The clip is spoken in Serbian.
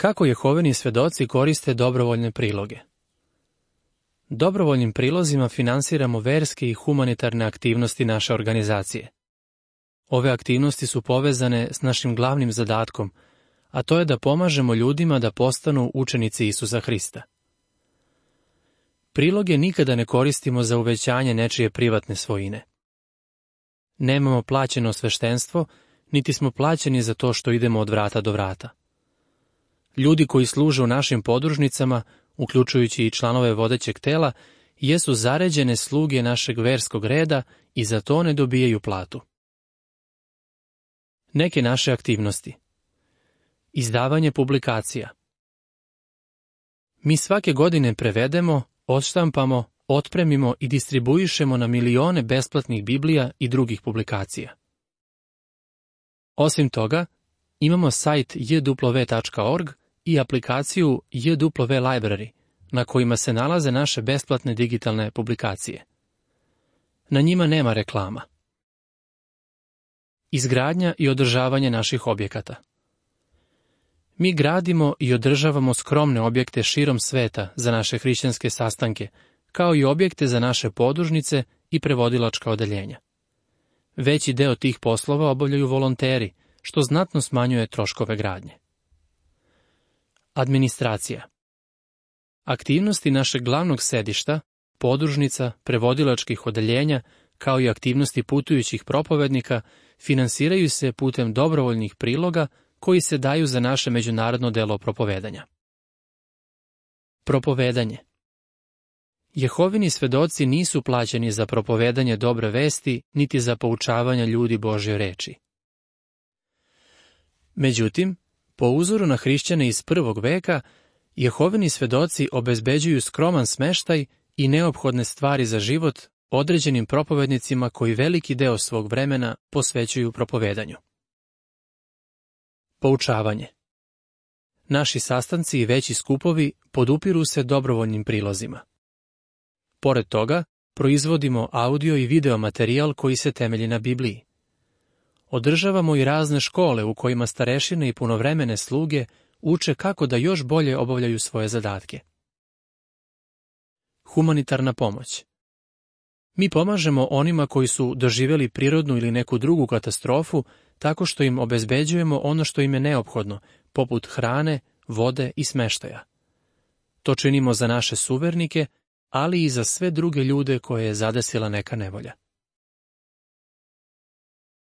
Kako Jehovini svedoci koriste dobrovoljne priloge? Dobrovoljnim prilozima finansiramo verske i humanitarne aktivnosti naše organizacije. Ove aktivnosti su povezane s našim glavnim zadatkom, a to je da pomažemo ljudima da postanu učenici Isusa Hrista. Priloge nikada ne koristimo za uvećanje nečije privatne svojine. Nemamo plaćeno sveštenstvo, niti smo plaćeni za to što idemo od vrata do vrata. Ljudi koji služe u našim podružnicama, uključujući i članove vodećeg tela, jesu zaređene sluge našeg verskog reda i za to ne dobijaju platu. Neke naše aktivnosti. Izdavanje publikacija. Mi svake godine prevedemo, odštampamo, otpremimo i distribuišemo na milione besplatnih Biblija i drugih publikacija. Osim toga, imamo sajt jw.org i aplikaciju JW Library, na kojima se nalaze naše besplatne digitalne publikacije. Na njima nema reklama. Izgradnja i održavanje naših objekata. Mi gradimo i održavamo skromne objekte širom sveta za naše hrišćanske sastanke, kao i objekte za naše podružnice i prevodilačka odeljenja. Veći deo tih poslova obavljaju volonteri, što znatno smanjuje troškove gradnje. Administracija. Aktivnosti našeg glavnog sedišta, podružnica, prevodilačkih odeljenja, kao i aktivnosti putujućih propovednika, finansiraju se putem dobrovoljnih priloga koji se daju za naše međunarodno delo propovedanja. Propovedanje. Jehovini svedoci nisu plaćeni za propovedanje dobre vesti, niti za poučavanje ljudi Božje reči. Međutim, po uzoru na hrišćane iz prvog veka, Jehovini svedoci obezbeđuju skroman smeštaj i neophodne stvari za život određenim propovednicima koji veliki deo svog vremena posvećuju propovedanju. Poučavanje. Naši sastanci i veći skupovi podupiru se dobrovoljnim prilozima. Pored toga, proizvodimo audio i video materijal koji se temelji na Bibliji. Održavamo i razne škole u kojima starešine i punovremene sluge uče kako da još bolje obavljaju svoje zadatke. Humanitarna pomoć. Mi pomažemo onima koji su doživjeli prirodnu ili neku drugu katastrofu tako što im obezbeđujemo ono što im je neophodno, poput hrane, vode i smeštaja. To činimo za naše suvernike, ali i za sve druge ljude koje je zadesila neka nevolja.